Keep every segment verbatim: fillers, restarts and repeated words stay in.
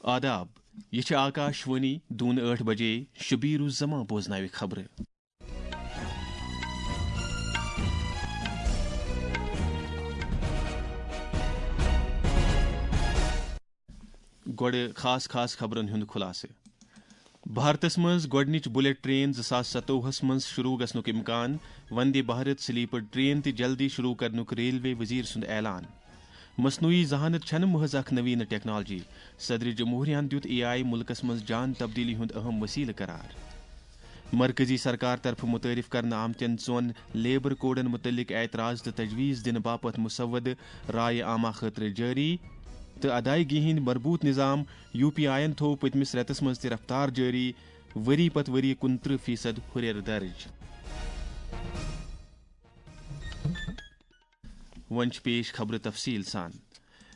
آداب، یہِ چھِ آکاش وانی، دوٗنہٕ ٲٹھ بجے شبیر الزمان بوزناوِ خبرٕ۔ گۄڈٕ خاص خاص خبرن ہُنٛد خُلاصہٕ۔ بھارتس منٛز گۄڈٕنِچ بلیٹ ٹرین زٕ ساس ستووُہس منٛز شروع گژھنُک امکان، وندے بھارت سلیپر ٹرین تہِ جلدی شروع کرنُک ریلوے وزیر سُنٛد اعلان۔ مصنوعی ذہانت چھنہٕ محض اکھ نوینہ ٹیکنالوجی، صدر جمہوریہ ہن دیُت اے آئی ملکس منٛز جان تبدیلی ہُنٛد اہم وسیلہٕ قرار۔ مرکزی سرکار طرفہٕ متعارف کرنہٕ آمتٮ۪ن ژۄن لیبر کوڈن متعلق اعتراض تہٕ تجویز دِنہٕ باپتھ مسودٕ رائے عامہ خٲطرٕ جٲری، تہٕ ادائیگی ہٕنٛدۍ مربوط نظام یو پی آئی یَن تھوو پٔتمِس رٮ۪تَس منٛز تہِ رفتار جٲری، ؤری پتہٕ ؤری کُنترٕہ فیصد ہُرٮ۪ر درٕج۔ وۄنۍ چھِ پیش خبرٕ تفصیٖل سان۔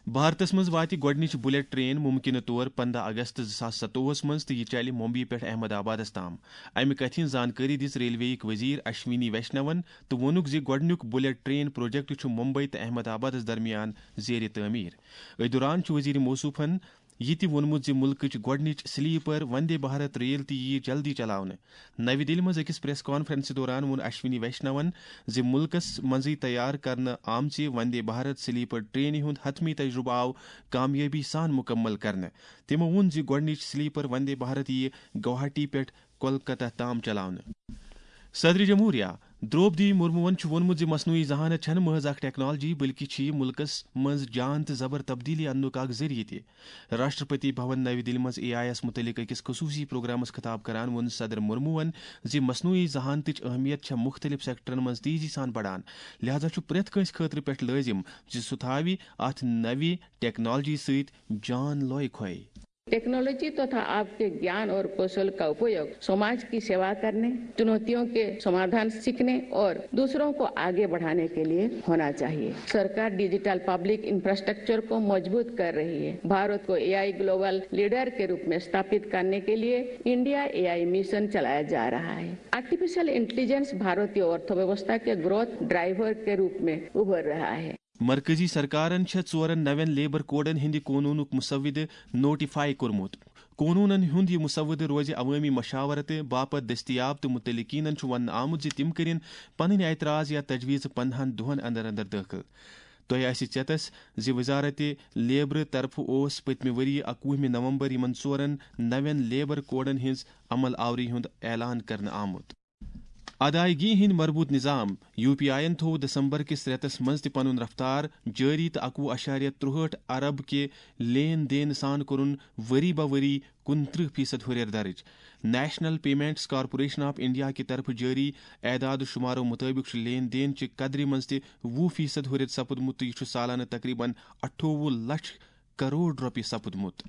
بھارتس منٛز واتہِ گۄڈٕنِچ بلیٹ ٹرین ممکنہٕ طور پنٛداہ اگست زٕ ساس ستووُہس منٛز تہٕ یہِ چلہِ ممبئی پٮ۪ٹھ احمد آبادس تام۔ امہِ کتھِ ہٕنٛز زانکٲری دِژ ریلوے یٕکۍ وزیر اشونی ویشنون تہٕ ووٚنُکھ زِ گۄڈٕنیُک بلیٹ ٹرین پروجیکٹ چھُ ممبئی تہٕ احمد آبادس درمیان زیر تعمیٖر۔ أتھۍ دوران چھُ وزیر موصوفن یہِ تہِ ووٚنمُت زِ مُلکٕچ گۄڈٕنِچ سلیپر وندے بھارت ریل تہِ یِیہِ جلدی چلاونہٕ۔ نَوِ دِلہِ منٛز أکِس پریس کانفرنسہِ دوران ووٚن اشونی ویشنون زِ مُلکَس منٛزٕے تیار کرنہٕ آمژِ وندے بھارت سلیپر ٹرینہِ ہُنٛد حتمی تجربہٕ آو کامیٲبی سان مُکمل کرنہٕ۔ تِمَو ووٚن زِ گۄڈٕنِچ سلیپر وندے بھارت یِیہِ گوہاٹی پٮ۪ٹھ کولکتہ تام چلاونہٕ۔ صدر جمہوریہ درٛوپدی مرموٗہن چھُ ووٚنمُت زِ مصنوعی ذہانت چھَنہٕ محض اکھ ٹیکنالوجی، بلکہِ چھِ یہِ مُلکَس منٛز جان تہٕ زبر تبدیلی اَننُک اکھ ذٔریعہٕ تہِ۔ راشٹرپتی بھون نَوِ دِلہِ منٛز اے آئی یَس مُتعلِق أکِس خصوٗصی پروگرامَس خطاب کران ووٚن صدر مرموٗہن زِ مصنوعی ذہانتٕچ اہمیت چھےٚ مُختٔلِف سیکٹرن منٛز تیزی سان بڑان، لہذا چھُ پرٛٮ۪تھ کٲنٛسہِ خٲطرٕ پٮ۪ٹھ لٲزِم زِ سُہ تھاوِ اَتھ نَوِ ٹیکنالوجی سۭتۍ جان لوے کھوے۔ टेक्नोलॉजी तथा आपके ज्ञान और कौशल का उपयोग समाज की सेवा करने, चुनौतियों के समाधान सीखने और दूसरों को आगे बढ़ाने के लिए होना चाहिए। सरकार डिजिटल पब्लिक इंफ्रास्ट्रक्चर को मजबूत कर रही है। भारत को एआई ग्लोबल लीडर के रूप में स्थापित करने के लिए इंडिया एआई मिशन चलाया जा रहा है। आर्टिफिशियल इंटेलिजेंस भारतीय अर्थव्यवस्था के ग्रोथ ड्राइवर के रूप में उभर रहा है। مرکزی سرکارن چھےٚ ژورن نوٮ۪ن لیبر کوڈن ہٕنٛدِ قونوٗنُک مسودٕ نوٹیفائی کوٚرمُت۔ قونوٗنن ہُنٛد یہِ مسودٕ روزِ عوٲمی مشاورتہٕ باپتھ دٔستیاب تہٕ متعلقینن چھُ وننہٕ آمُت زِ تِم کٔرِن پنٕنۍ اعتراض یا تجویز پندہن دۄہن اندر اندر دٲخل۔ تۄہہِ آسہِ ژیتس زِ وزارت لیبرٕ طرفہٕ اوس پٔتمہِ ؤرۍ یہِ اکوُہمہِ نومبر یِمن ژورن نوٮ۪ن لیبر کوڈن ہٕنٛز عمل آوری ہُنٛد اعلان کرنہٕ آمُت۔ ادائیگی ہٕنٛدۍ مربوط نظام، یو پی آئی یَن تھوو دسمبر کِس رٮ۪تس منٛز تہِ پنُن رفتار جٲری تہٕ اکوُہ اَشاریہ ترٛوہٲٹھ ارب کہِ لین دین سان کوٚرُن ؤری بہ ؤری کُنترٕہ فیصد ہُرٮ۪ر درٕج۔ National payments corporation of India کہِ طرفہٕ جٲری اعداد و شمارو مُطٲبِق چھُ لین دین چہِ قدرِ منٛز تہِ وُہ فیصد ہُرٮ۪ر سپُدمُت تہٕ یہِ چھُ سالانہٕ تقریباً اَٹھووُہ لچھ کرور رۄپیہِ سپُدمُت۔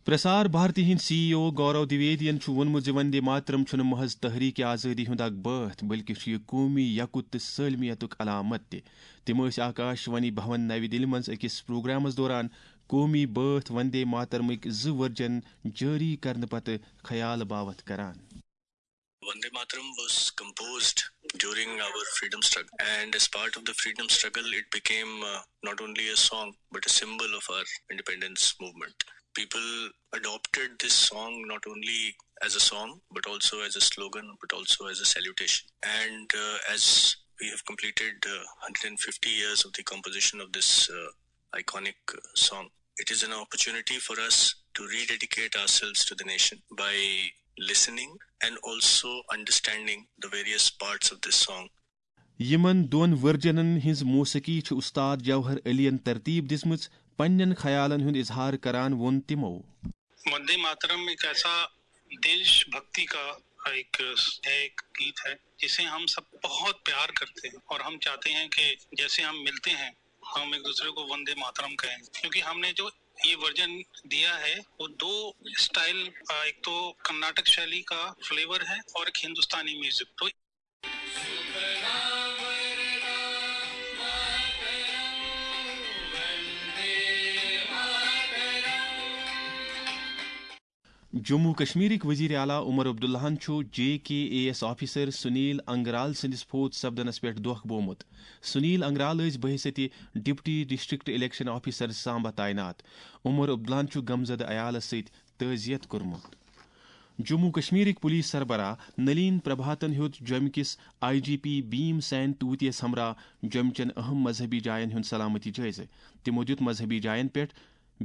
پرسار بھارتی ہٕنٛدۍ سی ای او گورو دویدین چھُ ووٚنمُت زِ وندے ماترم چھُنہٕ محض تحریک آزٲدی ہُنٛد اکھ بٲتھ، بلکہِ چھُ یہِ قومی یکُت تہٕ سٲلمیتُک علامت تہِ۔ تِم ٲسۍ آکاش وانی بھون نَوِ دِلہِ منٛز أکِس پروگرامس دوران قومی بٲتھ وندے ماترمٕکۍ زٕ ورجن جٲری کرنہٕ پتہٕ خیال باوتھ کران۔ Vande Mataram was composed during our freedom struggle, and as part of the freedom struggle, it became uh, not only a song but a symbol of our independence movement. People adopted this song not only as a song but also as a slogan, but also as a salutation. And uh, as we have completed uh, one hundred fifty years of the composition of this uh, iconic uh, song, it is an opportunity for us to rededicate ourselves to the nation by listening and also understanding the various parts of this song. یِمن دۄن ورجنن ہٕنٛز موسیقی چھِ استاد جوہر علی ین ترتیب دِژمٕژ۔ پننٮ۪ن خیالن ہُنٛد اظہار کران ووٚن تِمو۔ वंदे मातरम एक ऐसा देशभक्ति का एक, एक गीत है जिसे हम सब बहुत प्यार करते हैं और हम चाहते हैं कि जैसे हम मिलते हैं हम एक दूसरे को वंदे मातरम कहें, क्योंकि हमने जो ये वर्जन दिया है वो दो स्टाइल, एक तो कर्नाटक शैली का फ्लेवर है और एक हिंदुस्तानी म्यूजिक। तो جموں کشمیرٕکۍ وزیر اعلیٰ عمر عبداللہَن چھُ J K A S officer Sunil Angral سٕنٛدِس فوت سپدنس پٮ۪ٹھ دۄکھ بومُت۔ سنیل انگرال ٲسۍ بحیثیت deputy district election officer Samba تعینات۔ عمر عبداللہَن چھُ غمزدٕ عیالس سۭتۍ تعزیت کوٚرمُت۔ جموں کشمیرٕکۍ پولیس سربراہ نلین پربھاتن ہیوٚت جوٚمہِ کِس آئی جی پی بھیم سین توتیَس ہمراہ جوٚمہِ چٮ۪ن اہم مذہبی جاین ہُنٛد سلامتی جٲیزٕ۔ تِمو دِیُت مذہبی جاین پٮ۪ٹھ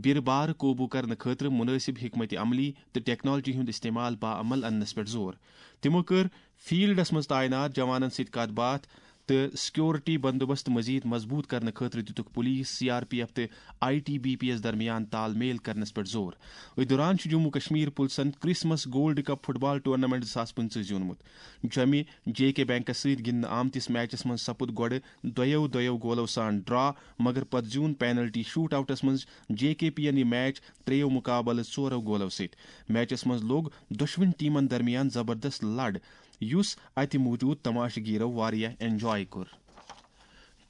بیرٕ بار قوبوٗ کرنہٕ خٲطرٕ مُنٲسِب حکمت عملی تہٕ ٹیکنالوجی ہُنٛد استعمال باعمل اننس پٮ۪ٹھ زور۔ تِمو کٔر فیلڈس منٛز تعینات جوانن سۭتۍ کتھ باتھ تہٕ سیکورٹی بندوبست مزید مضبوط کرنہٕ خٲطرٕ دِتُکھ police, C R P F تہٕ آئی ٹی بی پی یَس درمیان تال میل کرنس پٮ۪ٹھ زور۔ أتھۍ دوران چھُ جموں کشمیر پُلسن Christmas gold cup football tournament زٕ ساس پٕنٛژٕہ زیوٗنمُت۔ جوٚمہِ جے کے بینکس سۭتۍ گِنٛدنہٕ آمتِس میچس منٛز سپُد گۄڈٕ دۄیو دۄیو گولو سان ڈرا، مگر پتہٕ زیوٗن پینلٹی شوٹ آوٹس منٛز جے کے پی یَن یہِ میچ ترٛیٚیو مقابلہٕ ژورو گولو سۭتۍ۔ میچس منٛز لوٚگ دۄشوٕنۍ ٹیمن درمیان زبردست لڑ، یُس اتہِ موجود تماشہٕ گیرو واریاہ انجوائے کوٚر۔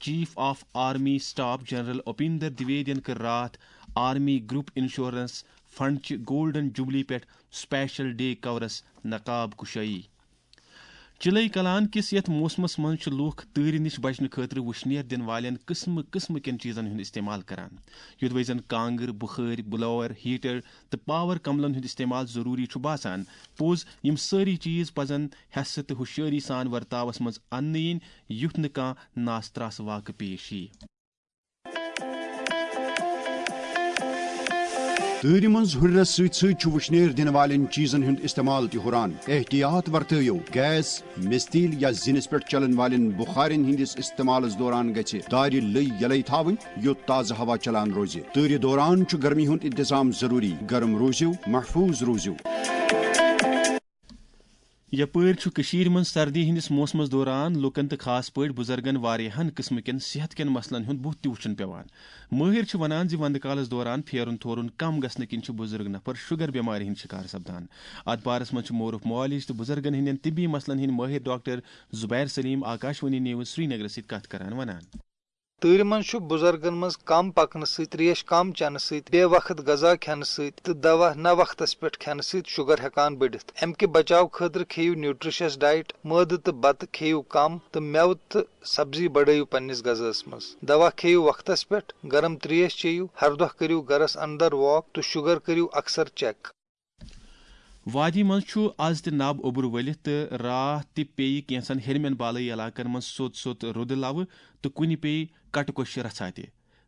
Chief of army staff general Upendra دویدین کٔر راتھ آرمی گروپ انشورنس فنڈ چہِ گولڈن جوبلی پٮ۪ٹھ سپیشل ڈے کورس نقاب کشائی۔ چلئی کلان کِس یتھ موسمس منٛز چھِ لوٗکھ تۭرِ نِش بچنہٕ خٲطرٕ وُشنیر دِنہٕ والٮ۪ن قٕسمہٕ قٕسمہٕ کٮ۪ن چیٖزن ہُنٛد استعمال کران، یُدوے زن کانٛگٕر، بُخٲرۍ، بلوور، ہیٹر تہٕ پاور کملن ہُنٛد استعمال ضروٗری چھُ باسان۔ پوٚز، یِم سٲری چیٖز پزن حٮ۪سہٕ تہٕ ہُشیٲری سان ورتاوس منٛز اننہٕ یِنۍ، یُتھ نہٕ کانٛہہ ناستراس واقعہٕ پیش یِیہِ۔ تۭرِ منٛز ہُرٮ۪رس سۭتۍ سۭتۍ چھُ وُشنیر دِنہٕ والٮ۪ن چیٖزن ہُنٛد استعمال تہِ ہُران۔ احتیاط ورتٲیِو، گیس، مِستیٖل یا زِنِس پٮ۪ٹھ چلن والٮ۪ن بُخارٮ۪ن ہٕنٛدِس استعمالس دوران گژھِ دارِ لٔۍ یلے تھاوٕنۍ، یوٚت تازٕ ہوا چلان روزِ۔ تۭرِ دوران چھُ گرمی ہُنٛد انتظام ضروٗری۔ گرم روٗزِو، محفوٗظ روٗزِو۔ یپٲرۍ چھُ کٔشیٖرِ منٛز سردی ہٕنٛدِس موسمس دوران لوٗکن تہٕ خاص پٲٹھۍ بُزرگن واریاہن قٕسمہٕ کٮ۪ن صحت کٮ۪ن مسلن ہُنٛد بُتھ تہِ وُچھُن پٮ۪وان۔ مٲہِر چھِ ونان زِ ونٛدٕ کالس دوران پھیرُن تھورُن کم گژھنہٕ کِنۍ چھِ بُزرگ نفر شُگر بٮ۪مارِ ہٕنٛدۍ شِکار سپدان۔ اتھ بارس منٛز چھِ معروٗف معالج تہٕ بُزرگن ہٕنٛدٮ۪ن طبی مسلن ہٕنٛدۍ مٲہِر ڈاکٹر زُبیر سلیٖم آکاشوانی نیوز سرینگرس سۭتۍ کتھ کران ونان۔ تۭرِ منٛز چھُ بُزرگن منٛز کم پکنہٕ سۭتۍ، تریش کم چٮ۪نہٕ سۭتۍ، بے وقت غذا کھٮ۪نہٕ سۭتۍ تہٕ دوا نہ وقتس پٮ۪ٹھ کھٮ۪نہٕ سۭتۍ شُگر ہٮ۪کان بٔڑِتھ۔ امہِ کہِ بچاو خٲطرٕ کھیٚیِو نیوٗٹریشس ڈایٹ، مٲدٕ تہٕ بتہٕ کھیٚیِو کم تہٕ مٮ۪وٕ تہٕ سبزی بڑٲیِو پننِس غذاہس منٛز۔ دوا کھیٚیِو وقتس پٮ۪ٹھ، گرم تریش چیٚیِو، ہر دۄہ کٔرِو گرس اندر واک تہٕ شُگر کٔرِو اکثر چیک۔ وادی منٛز چھُ از تہِ نب اوٚبُر ؤلِتھ تہٕ راتھ تہِ پیٚیہِ کینٛژن ہیٚرمٮ۪ن بالٲیی علاقن منٛز سوٚت سوٚت رُدٕ لوٕ تہٕ کُنہِ پیٚیہِ کٹہٕ کۄشہِ رژھا تہِ۔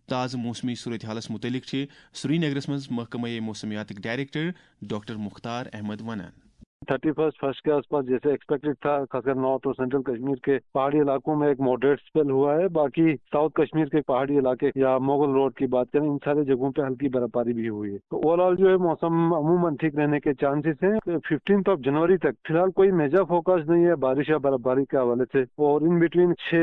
تازٕ موسمی صورتحالس مُتعلق چھِ سرینگرس منٛز محکمہ موسمیاتٕکۍ ڈائریکٹر ڈاکٹر مختار احمد ونان۔ تھرٹی فرسٹ فرسٹ کے آس پاس جیسے ایکسپیکٹڈ تھا، خاص کر نارتھ اور سینٹرل کشمیر کے پہاڑی علاقوں میں ایک ماڈریٹ اسپیل ہوا ہے، باقی ساؤتھ کشمیر کے پہاڑی علاقے یا مغل روڈ کی بات کریں، ان سارے جگہوں پہ ہلکی برف باری بھی ہوئی ہے۔ تو اوور آل جو ہے موسم عموماً ٹھیک رہنے کے چانسز ہیں۔ ففٹینتھ آف جنوری تک فی الحال کوئی میجر فوکاسٹ نہیں ہے بارش یا برف باری کے حوالے سے، اور ان بٹوین چھ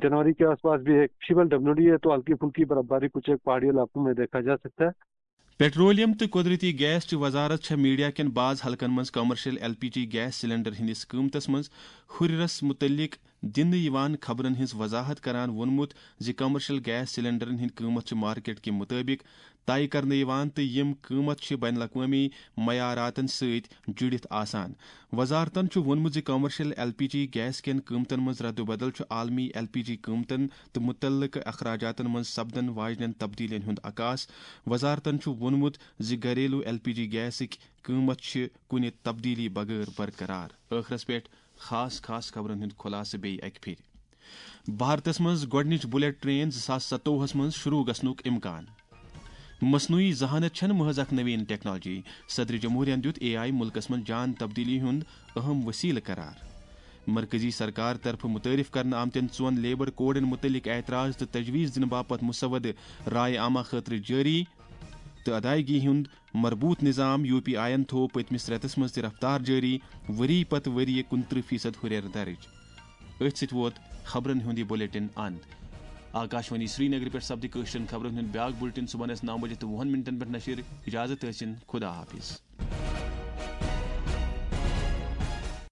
جنوری کے آس پاس بھی ایک فیبل ڈبلیو ڈی ہے، تو ہلکی پھلکی برف باری کچھ ایک پہاڑی علاقوں میں دیکھا جا سکتا ہے۔ پیٹرولیم تہٕ قۄدرٔتی گیس چہِ وزارت چھےٚ میڈیا کٮ۪ن بعض حلقن منٛز commercial L P G gas cylinder ہٕنٛدِس قۭمتس منٛز ہُرٮ۪رس مُتعلق دِنہٕ یِوان خبرن ہٕنٛز وضاحت کران ووٚنمُت زِ کمرشل گیس سلنڈرن ہٕنٛدۍ قۭمت چھِ مارکیٹ کہِ مُطٲبِق طے کرنہٕ یِوان تہٕ یِم قۭمت چھِ بین الاقوٲمی معیاراتن سۭتۍ جُڑِتھ آسان۔ وزارتن چھُ ووٚنمُت زِ commercial L P G gas کٮ۪ن قۭمتن منٛز ردُبدل چھُ عالمی ایل پی جی قۭمتن تہٕ مُتعلقہٕ اخراجاتن منٛز سپدن واجنٮ۪ن تبدیلیَن ہُنٛد عکاس۔ وزارتن چھُ ووٚنمُت زِ گھریلو ایل پی جی گیسٕکۍ قۭمت چھِ کُنہِ تبدیلی بغٲر برقرار۔ ٲخرس پٮ۪ٹھ خاص خاص خبرن ہُنٛد خلاصہٕ بیٚیہِ اکہِ پھِرِ۔ بھارتس منٛز گۄڈٕنِچ بلیٹ ٹرین زٕ ساس ستووُہس منٛز شروع گژھنُک امکان۔ مصنوعی ذہانت چھنہٕ محض اکھ نوین ٹیکنالوجی، صدر جمہوریہن دیُت اے آئی ملکس منٛز جان تبدیلی ہُنٛد اہم وسیلہٕ قرار۔ مرکزی سرکار طرفہٕ متعارف کرنہٕ آمتٮ۪ن ژۄن لیبر کوڈن متعلق اعتراض تہٕ تجویز دِنہٕ باپتھ مسودٕ رائے عامہ خٲطرٕ جٲری تہٕ ادائیگی ہُنٛد مربوط نظام۔ یو پی آئی یَن تھوو پٔتمِس رٮ۪تَس منٛز تہِ رفتار جٲری، ؤری پتہٕ ؤری کُنترٕہ فیصد ہُرٮ۪ر درٕج۔ أتھۍ سۭتۍ ووت خبرن ہُنٛد یہِ بلیٹن اند۔ آکاشوانی سرینگرٕ پٮ۪ٹھ سپدِ کٲشرٮ۪ن خبرن ہُنٛد بیاکھ بلیٹن صبحن آسہِ نو بجے تہٕ وُہن منٹن پٮ۪ٹھ نشر۔ اجازت ٲسِن، خدا حافظ۔